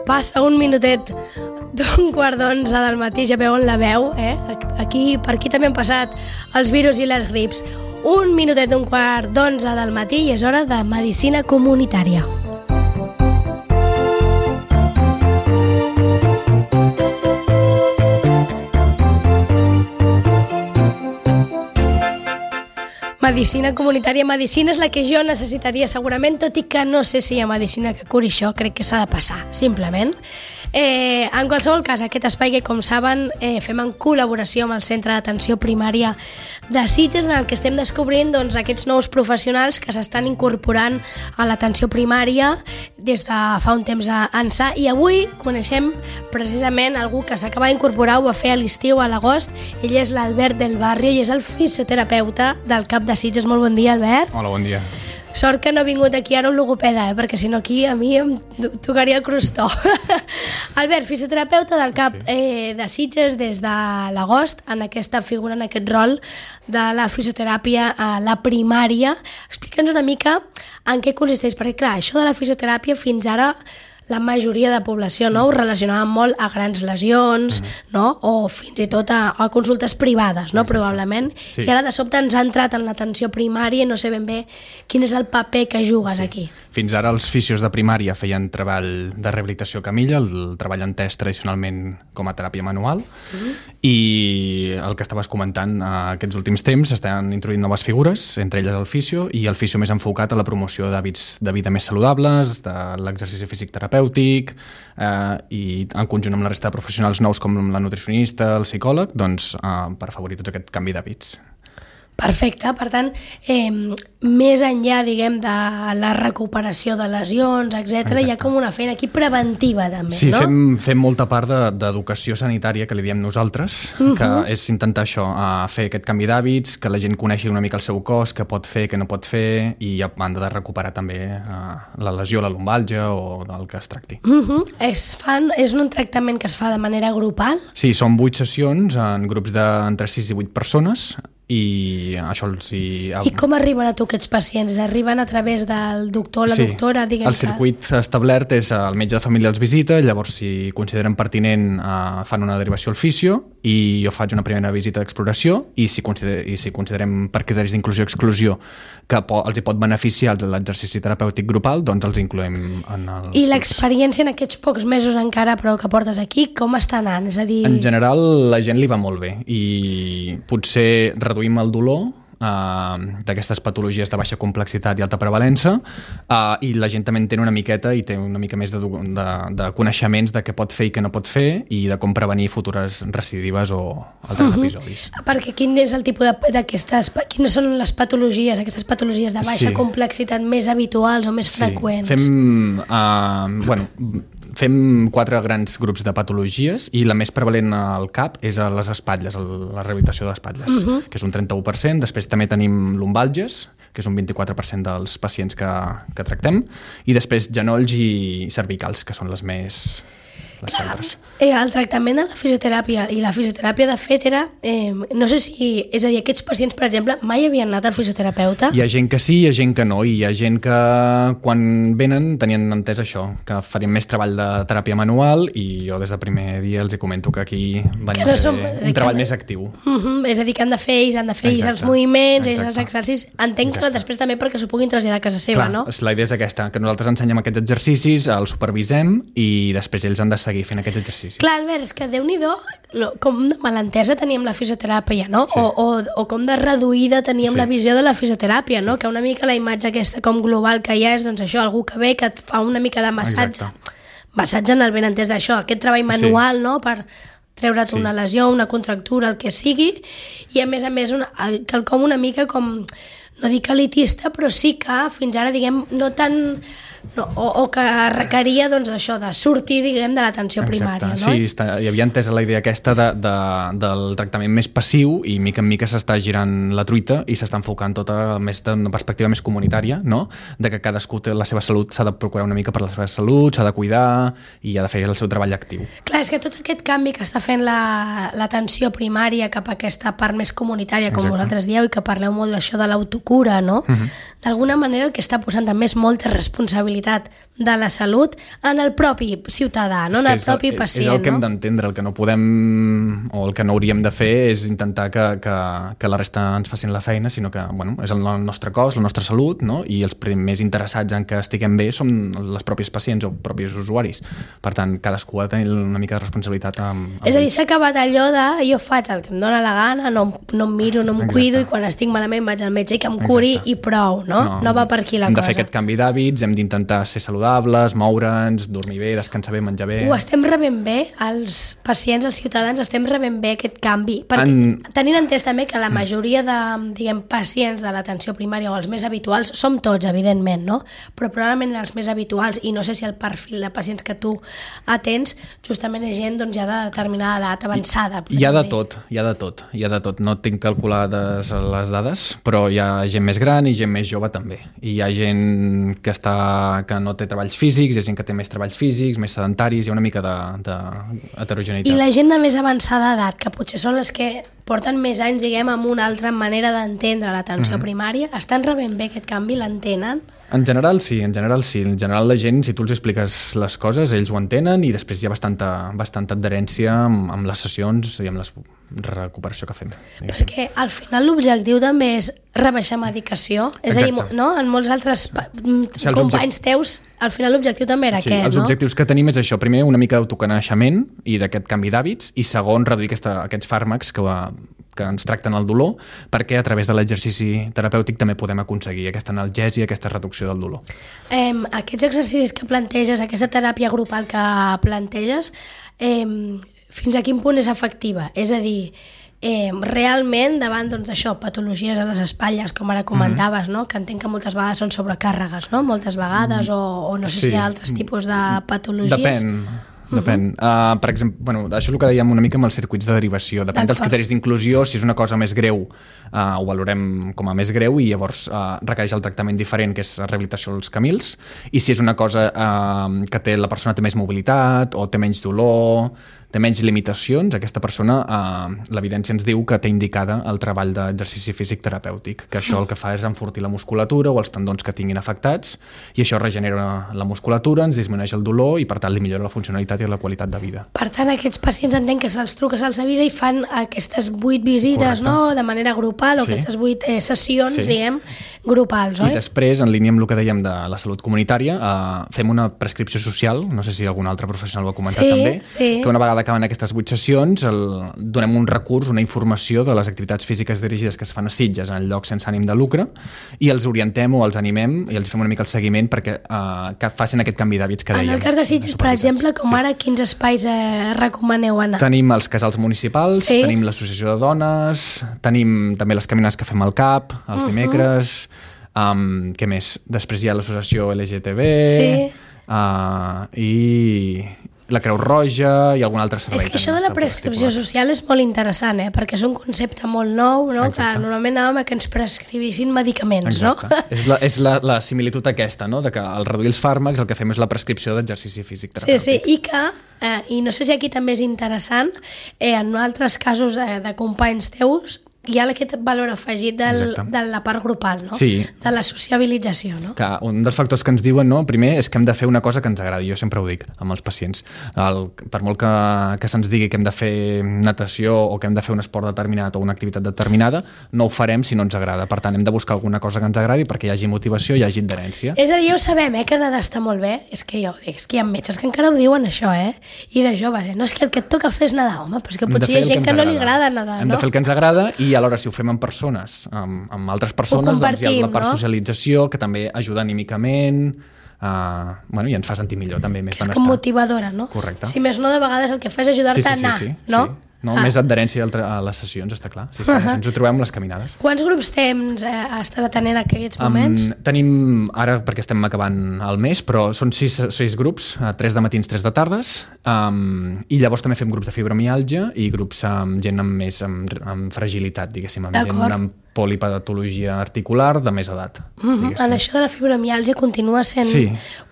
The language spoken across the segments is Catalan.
Passa un minutet d'11:15 del matí, ja veuen la veu, per aquí també han passat els virus i les grips. Un minutet d'11:15 del matí i és hora de medicina comunitària. Medicina comunitària. Medicina és la que jo necessitaria segurament, tot i que no sé si hi ha medicina que curi això, crec que s'ha de passar, simplement. En qualsevol cas, aquest espai que, com saben, fem en col·laboració amb el Centre d'Atenció Primària de Sitges, en el que estem descobrint aquests nous professionals que s'estan incorporant a l'atenció primària des de fa un temps ençà, i avui coneixem precisament algú que s'acaba d'incorporar, ho va fer a l'estiu, a l'agost. Ell és l'Albert del Barrio i és el fisioterapeuta del CAP de Sitges. Molt bon dia, Albert. Hola, bon dia. Sort que no ha vingut aquí ara un logopeda, perquè si no aquí a mi em tocaria el crostó. Albert, fisioterapeuta del CAP de Sitges des de l'agost, en aquesta figura, en aquest rol de la fisioteràpia a la primària. Explica'ns una mica en què consisteix, perquè clar, això de la fisioteràpia fins ara la majoria de població ho relacionava molt a grans lesions, o fins i tot a consultes privades, probablement. Sí. I ara de sobte ens ha entrat en l'atenció primària i no sé ben bé quin és el paper que jugues aquí. Fins ara els fisios de primària feien treball de rehabilitació a camilla, el treball entès tradicionalment com a teràpia manual, i el que estaves comentant, aquests últims temps s'estan introduint noves figures, entre elles el fisio, i el fisio més enfocat a la promoció d'hàbits de vida més saludables, de l'exercici físic terapèutic, i en conjunt amb la resta de professionals nous com la nutricionista, el psicòleg, doncs per afavorir tot aquest canvi d'hàbits. Perfecte, per tant, més enllà, diguem, de la recuperació de lesions, etc., hi ha com una feina aquí preventiva, també, no? Sí, fem molta part d'educació sanitària, que li diem nosaltres, que és intentar això, fer aquest canvi d'hàbits, que la gent coneixi una mica el seu cos, què pot fer, què no pot fer, i a banda de recuperar també la lesió, la lumbàlgia o del que es tracti. És un tractament que es fa de manera grupal? Sí, són 8 sessions en grups d'entre 6 i 8 persones, i això I com arriben a tu aquests pacients? Arriben a través del doctor o la doctora? El circuit establert és el metge de família els visita, llavors si consideren pertinent fan una derivació al fisio i jo faig una primera visita d'exploració i si considerem per criteris d'inclusió-exclusió que els hi pot beneficiar l'exercici terapèutic grupal, doncs els incloem en els I l'experiència en aquests pocs mesos encara però que portes aquí, com està anant? És a dir... En general la gent li va molt bé i potser reduïm el dolor d'aquestes patologies de baixa complexitat i alta prevalença, i la gent també en té una miqueta i té una mica més de coneixements de què pot fer i què no pot fer i de com prevenir futures recidives o altres episodis. Perquè quin és el tipus d'aquestes... Quines són les patologies, aquestes patologies de baixa complexitat més habituals o més freqüents? Fem 4 grans grups de patologies i la més prevalent al CAP és a les espatlles, la rehabilitació d'espatlles, que és un 31%. Després també tenim lumbàlgies, que és un 24% dels pacients que tractem, i després genolls i cervicals, que són les més... El tractament de la fisioteràpia i la fisioteràpia de fet era, no sé si, és a dir, aquests pacients, per exemple, mai havien anat al fisioterapeuta? Hi ha gent que sí, hi ha gent que no, i hi ha gent que quan venen tenien entès això, que farien més treball de teràpia manual, i jo des del primer dia els comento que aquí venim a fer un treball més actiu. És a dir, que han de fer els moviments, els exercicis. Entenc que després també perquè s'ho puguin traslladar a casa seva, no? La idea és aquesta, que nosaltres ensenyem aquests exercicis, els supervisem i després ells han de seguir fent aquests exercicis. Clar, Albert, és que Déu-n'hi-do com de malentesa teníem la fisioteràpia, no? Sí. O com de reduïda teníem la visió de la fisioteràpia, no? Que una mica la imatge aquesta com global que hi ha és doncs això, algú que ve, que et fa una mica de massatge. Massatge en el ben entès d'això, aquest treball manual, no? Per treure't una lesió, una contractura, el que sigui, i a més quelcom una mica com, no dic elitista, però sí que fins ara, diguem, no tan o que requeria doncs, això de sortir, diguem, de l'atenció primària. No? Sí, hi havia entesa la idea aquesta del tractament més passiu i mica en mica s'està girant la truita i s'està enfocant tota més d'una perspectiva més comunitària, no? De que cadascú té la seva salut, s'ha de procurar una mica per la seva salut, s'ha de cuidar i ha de fer el seu treball actiu. Clar, és que tot aquest canvi que està fent l'atenció primària cap a aquesta part més comunitària, com vosaltres dieu, i que parleu molt d'això de l'autocura, no? D'alguna manera el que està posant també és molta responsabilitat de la salut en el propi ciutadà, no? En el propi pacient. És el que hem d'entendre, el que no podem o el que no hauríem de fer és intentar que la resta ens facin la feina, sinó que és el nostre cos, la nostra salut, no? I els primers interessats en que estiguem bé som les pròpies pacients o propis usuaris. Per tant, cadascú ha de tenir una mica de responsabilitat és a dir, s'ha acabat allò de jo faig el que em dóna la gana, no em miro, no em cuido i quan estic malament vaig al metge i que em curi i prou, no va per aquí la cosa. Hem de fer aquest canvi d'hàbits, hem d'intentar ser saludables, moure'ns, dormir bé, descansar bé, menjar bé. Ho estem rebent bé, els pacients, els ciutadans, estem rebent bé aquest canvi. Perquè tenint entès també que la majoria de, diguem, pacients de l'atenció primària o els més habituals, som tots, evidentment, no? Però probablement els més habituals, i no sé si el perfil de pacients que tu atens, justament és gent doncs, ja de determinada edat avançada. Hi ha de tot. No tinc calculades les dades, però hi ha gent més gran i gent més jove també. I hi ha gent que no té treballs físics, hi ha gent que té més treballs físics, més sedentaris, hi ha una mica d'heterogeneïtat. I la gent de més avançada edat, que potser són les que porten més anys, diguem, amb una altra manera d'entendre l'atenció primària, estan rebent bé aquest canvi, l'entenen? En general sí. En general la gent, si tu els expliques les coses, ells ho entenen i després hi ha bastanta adherència amb les sessions i amb la recuperació que fem. Perquè al final l'objectiu també és rebaixar medicació. És a dir, no? En molts altres companys teus, al final l'objectiu també era aquest, no? Els objectius que tenim és això. Primer, una mica d'autoconeixement i d'aquest canvi d'hàbits i segon, reduir aquests fàrmacs que ens tracten el dolor, perquè a través de l'exercici terapèutic també podem aconseguir aquesta analgèsia, aquesta reducció del dolor. Aquests exercicis que planteges, aquesta teràpia grupal que planteges, fins a quin punt és efectiva? És a dir, realment davant d'això, patologies a les espatlles, com ara comentaves, no? Que entenc que moltes vegades són sobrecàrregues, no? Moltes vegades, o no sé si hi ha altres tipus de patologies. Depèn. Per exemple, això és el que dèiem una mica amb els circuits de derivació. Depèn dels criteris d'inclusió. Si és una cosa més greu, ho valorem com a més greu i llavors requereix el tractament diferent, que és la rehabilitació dels camils. I si és una cosa que la persona té més mobilitat o té menys dolor, té menys limitacions, aquesta persona, l'evidència ens diu que té indicada el treball d'exercici físic terapèutic, que això el que fa és enfortir la musculatura o els tendons que tinguin afectats, i això regenera la musculatura, ens disminueix el dolor i per tant li millora la funcionalitat i la qualitat de vida. Per tant, aquests pacients entenc que se'ls truca, se'ls avisa i fan aquestes 8 visites, no? De manera grupal, o aquestes 8 sessions, diguem, grupals, oi? I després, en línia amb el que dèiem de la salut comunitària, fem una prescripció social, no sé si algun altre professional ho ha comentat també, que una vegada acaben aquestes 8 sessions, donem un recurs, una informació de les activitats físiques dirigides que es fan a Sitges en llocs sense ànim de lucre i els orientem o els animem i els fem una mica el seguiment perquè que facin aquest canvi d'hàbits que dèiem. En el cas de Sitges, per exemple, com ara, quins espais recomaneu anar? Tenim els casals municipals, tenim l'associació de dones, tenim també les caminades que fem al CAP, els dimecres, què més? Després hi ha l'associació LGTB i la Creu Roja i algun altre servei. És que això de la prescripció social és molt interessant, perquè és un concepte molt nou, no? Que normalment anàvem a que ens prescrivissin medicaments, no? És la similitud aquesta, no? De que al reduir els fàrmacs el que fem és la prescripció d'exercici físic terapèutic. Sí, i que, i no sé si aquí també és interessant, en altres casos de companys teus, hi ha aquest valor afegit de la part grupal, no? Sí. De la sociabilització, no? Que un dels factors que ens diuen, no, primer, és que hem de fer una cosa que ens agradi. Jo sempre ho dic amb els pacients. Per molt que se'ns digui que hem de fer natació o que hem de fer un esport determinat o una activitat determinada, no ho farem si no ens agrada. Per tant, hem de buscar alguna cosa que ens agradi perquè hi hagi motivació, hi hagi adherència. És a dir, ja ho sabem, que nedar està molt bé. És que jo dic, és que hi ha metges que encara ho diuen això, I de joves, no, és que el que et toca fer és nedar, home, però és que potser hi ha gent que no li agrada nedar, no? Hem de fer el que ens agrada i alhora si ho fem amb persones, amb altres persones, doncs hi ha la part socialització que també ajuda anímicament i ens fa sentir millor també, més benestar. És com motivadora, no? Correcte. Si més no, de vegades el que fa és ajudar-te a anar, no? no? Més adherència a les sessions, està clar. Sí, això ens ho trobem amb les caminades. Quants grups temps estàs atenent en aquests moments? Tenim, ara perquè estem acabant el mes, però són 6 grups, 3 de matins, 3 de tardes, i llavors també fem grups de fibromiàlgia i grups amb gent amb fragilitat, diguéssim, amb gent amb polipatologia articular de més edat. En això de la fibromiàlgia continua sent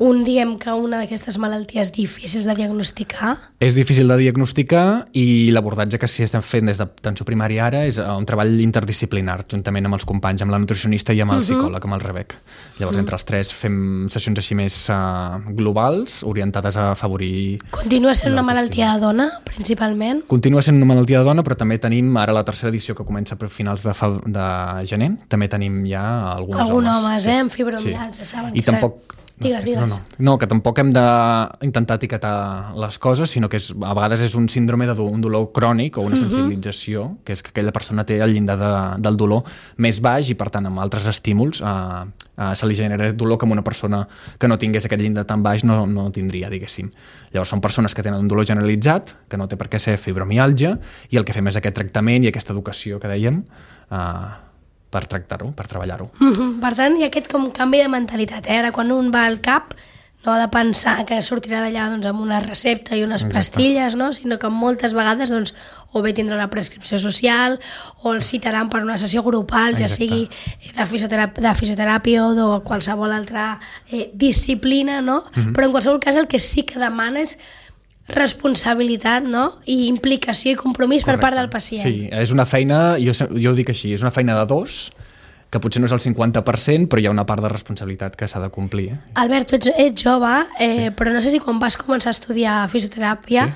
una d'aquestes malalties difícils de diagnosticar? És difícil de diagnosticar i l'abordatge que sí estem fent des d'atenció primària ara és un treball interdisciplinar, juntament amb els companys, amb la nutricionista i amb el psicòleg, amb el Rebec. Llavors, entre els 3 fem sessions així més globals, orientades a afavorir... Continua sent una malaltia de dona, principalment? Continua sent una malaltia de dona, però també tenim ara la tercera edició que comença per finals de gener, també tenim ja alguns homes, amb fibromiàlgia, saben? I tampoc... Digues. No, que tampoc hem d'intentar etiquetar les coses, sinó que a vegades és un síndrome d'un dolor crònic o una sensibilització, que és que aquella persona té el llindar del dolor més baix i, per tant, amb altres estímuls se li genera dolor que una persona que no tingués aquest llindar tan baix no tindria, diguéssim. Llavors són persones que tenen un dolor generalitzat, que no té per què ser fibromiàlgia, i el que fem és aquest tractament i aquesta educació que dèiem per tractar-ho, per treballar-ho. Per tant, hi ha aquest com canvi de mentalitat. Ara, quan un va al CAP, no ha de pensar que sortirà d'allà amb una recepta i unes pastilles, no? Sinó que moltes vegades o bé tindrà una prescripció social o el citaran per una sessió grupal, ja sigui de fisioteràpia o de qualsevol altra disciplina, no? Però en qualsevol cas el que sí que demana és responsabilitat, no? I implicació i compromís per part del pacient. Sí, és una feina, jo ho dic així, és una feina de 2, que potser no és el 50%, però hi ha una part de responsabilitat que s'ha de complir. Albert, tu ets jove, però no sé si quan vas començar a estudiar fisioteràpia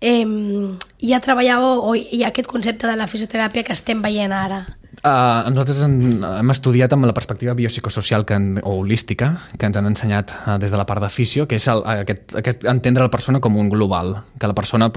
ja treballàveu, o hi ha aquest concepte de la fisioteràpia que estem veient ara? Nosaltres hem estudiat amb la perspectiva biopsicosocial o holística que ens han ensenyat des de la part de fisio, que és aquest entendre la persona com un global, que la persona,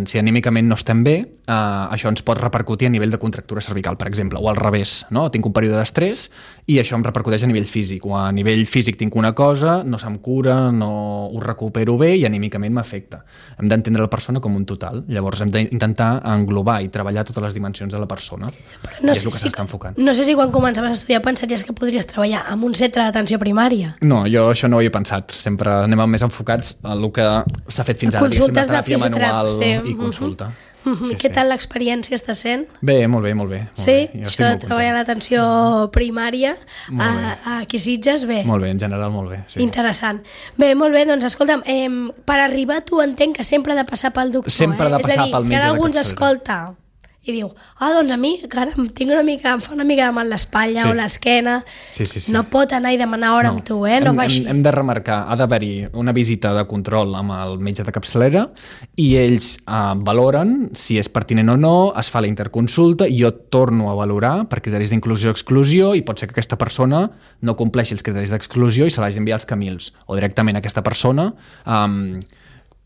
si anímicament no estem bé, això ens pot repercutir a nivell de contractura cervical, per exemple, o al revés, no? Tinc un període d'estrès i això em repercuteix a nivell físic, o a nivell físic tinc una cosa, no se'm cura, no ho recupero bé i anímicament m'afecta. Hem d'entendre la persona com un total, llavors hem d'intentar englobar i treballar totes les dimensions de la persona. Però no sé si quan començaves a estudiar pensaries que podries treballar en un centre d'atenció primària. No, jo això no ho he pensat. Sempre anem més enfocats a el que s'ha fet fins ara. Consultes de fisioteràpia i consulta. Què tal l'experiència està sent? Bé, molt bé. Sí? Això de treballar a l'atenció primària aquí a Sitges, bé. Molt bé, en general molt bé. Interessant. Bé, molt bé, doncs escolta'm, per arribar tu entenc que sempre ha de passar pel doctor. Sempre ha de passar pel metge de capçalera. És a dir, si ara algú ens escolta i diu, doncs a mi em fa una mica de mal l'espatlla o l'esquena, no pot anar i demanar hora amb tu, no va així. Hem de remarcar, ha d'haver-hi una visita de control amb el metge de capçalera i ells valoren si és pertinent o no, es fa la interconsulta i jo torno a valorar per criteris d'inclusió-exclusió i pot ser que aquesta persona no compleixi els criteris d'exclusió i se l'hagi d'enviar als Camils, o directament aquesta persona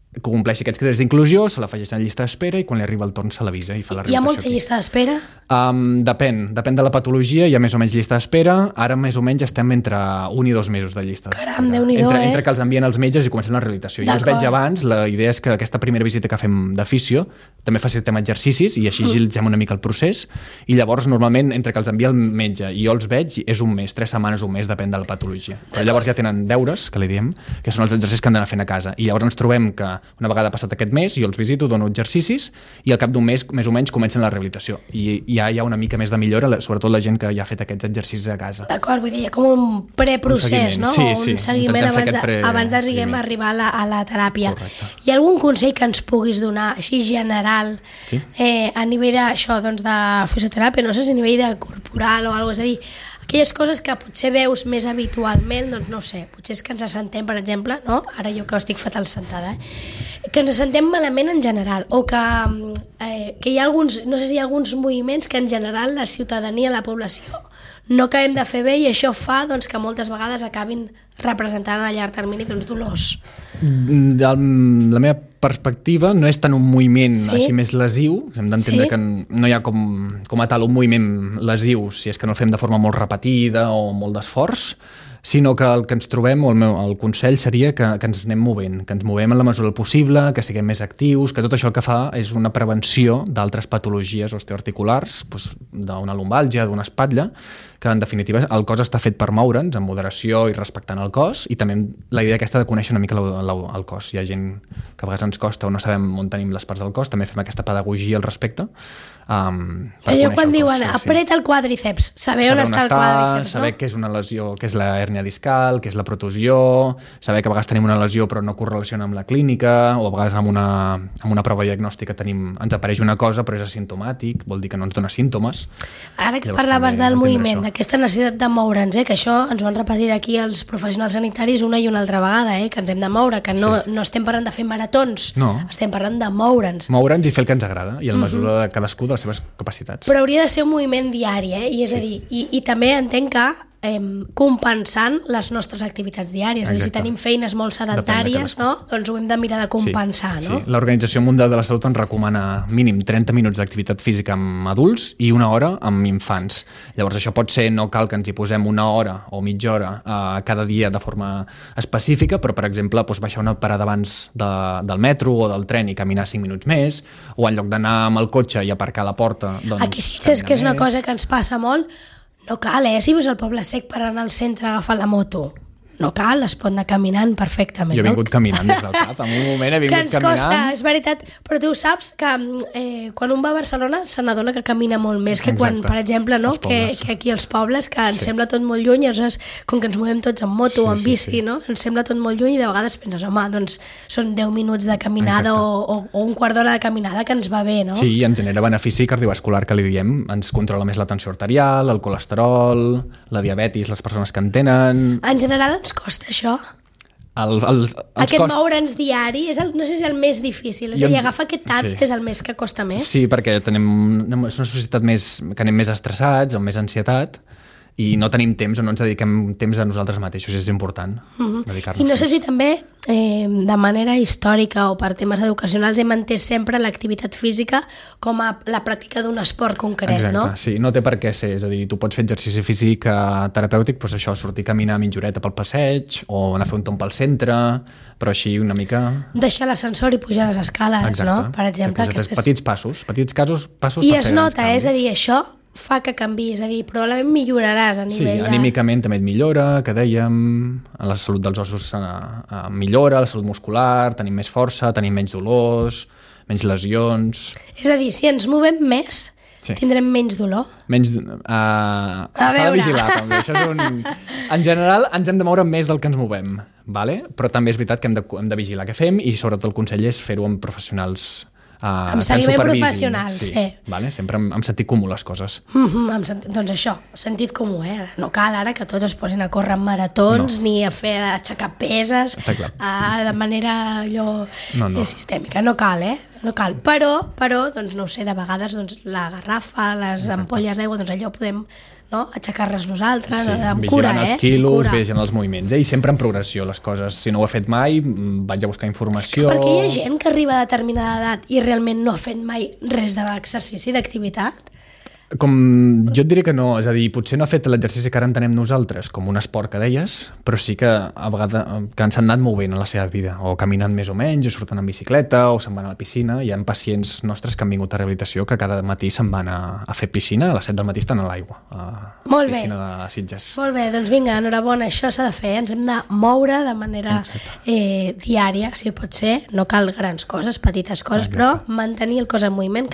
que compleixi aquests criteris d'inclusió, se l'afegeix en llista d'espera i quan li arriba el torn se l'avisa i fa la rehabilitació. Hi ha molta llista d'espera? Depèn de la patologia, hi ha més o menys llista d'espera, ara més o menys estem entre 1 i 2 mesos de llista d'espera. Caram, Déu-n'hi-do, entre que els envien els metges i comencem la rehabilitació. Jo els veig abans, la idea és que aquesta primera visita que fem de fisio també facilitem exercicis i així agilitzem una mica el procés i llavors normalment entre que els envia el metge i jo els veig és un mes, 3 setmanes, un mes, depèn de la patologia. Però llavors ja tenen deures, que li diem, que són els exercicis que han d'anar fent a casa i llavors ens trobem que una vegada passat aquest mes jo els visito, dono exercicis i al cap d'un mes més o menys comencen la rehabilitació i ja hi ha una mica més de millora, sobretot la gent que ja ha fet aquests exercicis a casa. D'acord, vull dir, com un preprocés, no? Sí, un seguiment abans d'arribar a la teràpia. Correcte. Hi ha algun consell que ens puguis donar, així general, a nivell d'això, doncs de fisioteràpia, no sé si a nivell de corporal o alguna cosa, és a dir, aquelles coses que potser veus més habitualment, doncs no sé, potser és que ens assentem, per exemple, no? Ara jo que estic fatal sentada, que ens assentem malament en general, o que hi ha alguns, no sé si hi ha alguns moviments que en general la ciutadania, la població, no acabem de fer bé i això fa doncs, que moltes vegades acabin representant a llarg termini doncs, dolors. La meva perspectiva no és tant un moviment així més lesiu, hem d'entendre que no hi ha com a tal un moviment lesiu si és que no el fem de forma molt repetida o molt d'esforç, sinó que el que ens trobem, o el consell seria que ens anem movent, que ens movem en la mesura del possible, que siguem més actius, que tot això el que fa és una prevenció d'altres patologies osteoarticulars, d'una lumbàlgia, d'una espatlla, que en definitiva el cos està fet per moure'ns amb moderació i respectant el cos, i també la idea aquesta de conèixer una mica el cos. Hi ha gent que a vegades ens costa o no sabem on tenim les parts del cos, també fem aquesta pedagogia al respecte. Allò quan diuen apreta el quàdriceps, saber on està el quàdriceps, saber què és una lesió, què és la hèrnia discal, què és la protusió, saber que a vegades tenim una lesió però no correlaciona amb la clínica, o a vegades amb una prova diagnòstica ens apareix una cosa però és asimptomàtic, vol dir que no ens dona símptomes. Ara que parlaves del moviment, d'aquesta necessitat de moure'ns, que això ens ho han repetit aquí els professionals sanitaris una i una altra vegada, que ens hem de moure, que no estem parlant de fer maratons, estem parlant de moure'ns. Moure'ns i fer el que ens agrada, i en mesura de cadascú de les seves capacitats. Però hauria de ser un moviment diari, i és a dir, i també entenc que compensant les nostres activitats diàries. És a dir, si tenim feines molt sedentàries, doncs ho hem de mirar de compensar. Sí. L'Organització Mundial de la Salut ens recomana mínim 30 minuts d'activitat física amb adults i 1 hora amb infants. Llavors això pot ser, no cal que ens hi posem 1 hora o mitja hora cada dia de forma específica, però per exemple baixar una parada abans del metro o del tren i caminar 5 minuts més, o en lloc d'anar amb el cotxe i aparcar a la porta, doncs aquí sí és que és una cosa que ens passa molt. No cal, si vius al Poble Sec per anar al centre a agafar la moto. No cal, es pot anar caminant perfectament. Jo he vingut caminant des del cap, en un moment he vingut caminant. Que ens costa, és veritat, però tu saps que quan un va a Barcelona se n'adona que camina molt més que quan, per exemple, que aquí als pobles, que ens sembla tot molt lluny, llavors, com que ens movem tots amb moto o amb bici, ens sembla tot molt lluny i de vegades penses, home, doncs són 10 minuts de caminada o un quart d'hora de caminada que ens va bé, no? Sí, ens genera benefici cardiovascular, que li diem, ens controla més la tensió arterial, el colesterol, la diabetis, les persones que en tenen... En general ens costa això? Aquest moure'ns diari no sé si és el més difícil, és a dir, agafar aquest hàbit és el més que costa més. Sí, perquè és una societat que anem més estressats, amb més ansietat, i no tenim temps o no ens dediquem temps a nosaltres mateixos, és important dedicar-nos. I no sé si també de manera històrica o per temes educacionals hem entès sempre l'activitat física com a la pràctica d'un esport concret, no? Exacte, sí, no té per què ser, és a dir, tu pots fer exercici físic terapèutic, doncs això, sortir a caminar mitja horeta pel passeig o anar a fer un tomb pel centre, però així una mica... Deixar l'ascensor i pujar les escales, no? Per exemple, petits passos per fer grans canvis. I es nota, és a dir, això fa que canvi, és a dir, probablement milloraràs a nivell anímicament també et millora, que dèiem, la salut dels ossos millora, la salut muscular, tenim més força, tenim menys dolors, menys lesions... És a dir, si ens movem més, tindrem menys dolor? S'ha de vigilar, també. Això és en general, ens hem de moure més del que ens movem, però també és veritat que hem de vigilar què fem i sobretot el consell és fer-ho amb professionals amb seguiment professional, sempre amb sentit comú les coses. Doncs això, sentit comú, no cal ara que tots es posin a córrer en maratons ni a aixecar peses de manera sistèmica, no cal, no cal, però doncs no ho sé, de vegades la garrafa, les ampolles d'aigua, doncs allò podem aixecar-les nosaltres, amb cura, vigilant els quilos, vigilant els moviments, i sempre en progressió les coses. Si no ho he fet mai, vaig a buscar informació... Perquè hi ha gent que arriba a determinada edat i realment no ha fet mai res d'exercici, d'activitat? Jo et diré que no, és a dir, potser no ha fet l'exercici que ara entenem nosaltres com un esport que deies, però sí que a vegades que s'han anat movent en la seva vida, o caminant més o menys, o surten en bicicleta, o se'n van a la piscina. Hi ha pacients nostres que han vingut a rehabilitació que cada matí se'n van a fer piscina, a les 7 del matí estan a l'aigua, a piscina de Sitges. Molt bé, doncs vinga, enhorabona, això s'ha de fer, ens hem de moure de manera diària, si pot ser, no cal grans coses, petites coses, però mantenir el cos en moviment,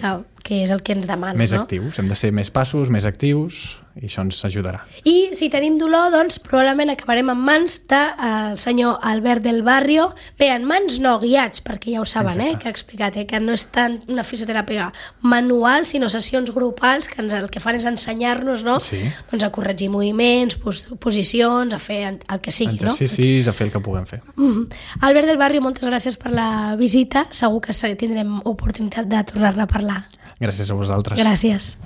que és el que ens demana. Més actius, hem de ser més passos, més actius, i això ens ajudarà. I si tenim dolor, doncs probablement acabarem en mans del senyor Albert del Barrio. Bé, en mans no, guiats, perquè ja ho saben, que ha explicat, que no és tant una fisioteràpia manual, sinó sessions grupals, que el que fan és ensenyar-nos, doncs a corregir moviments, posicions, a fer el que sigui, exercicis, a fer el que puguem fer. Albert del Barrio, moltes gràcies per la visita. Segur que tindrem oportunitat de tornar-ne a parlar. Gràcies a vosaltres. Gràcies.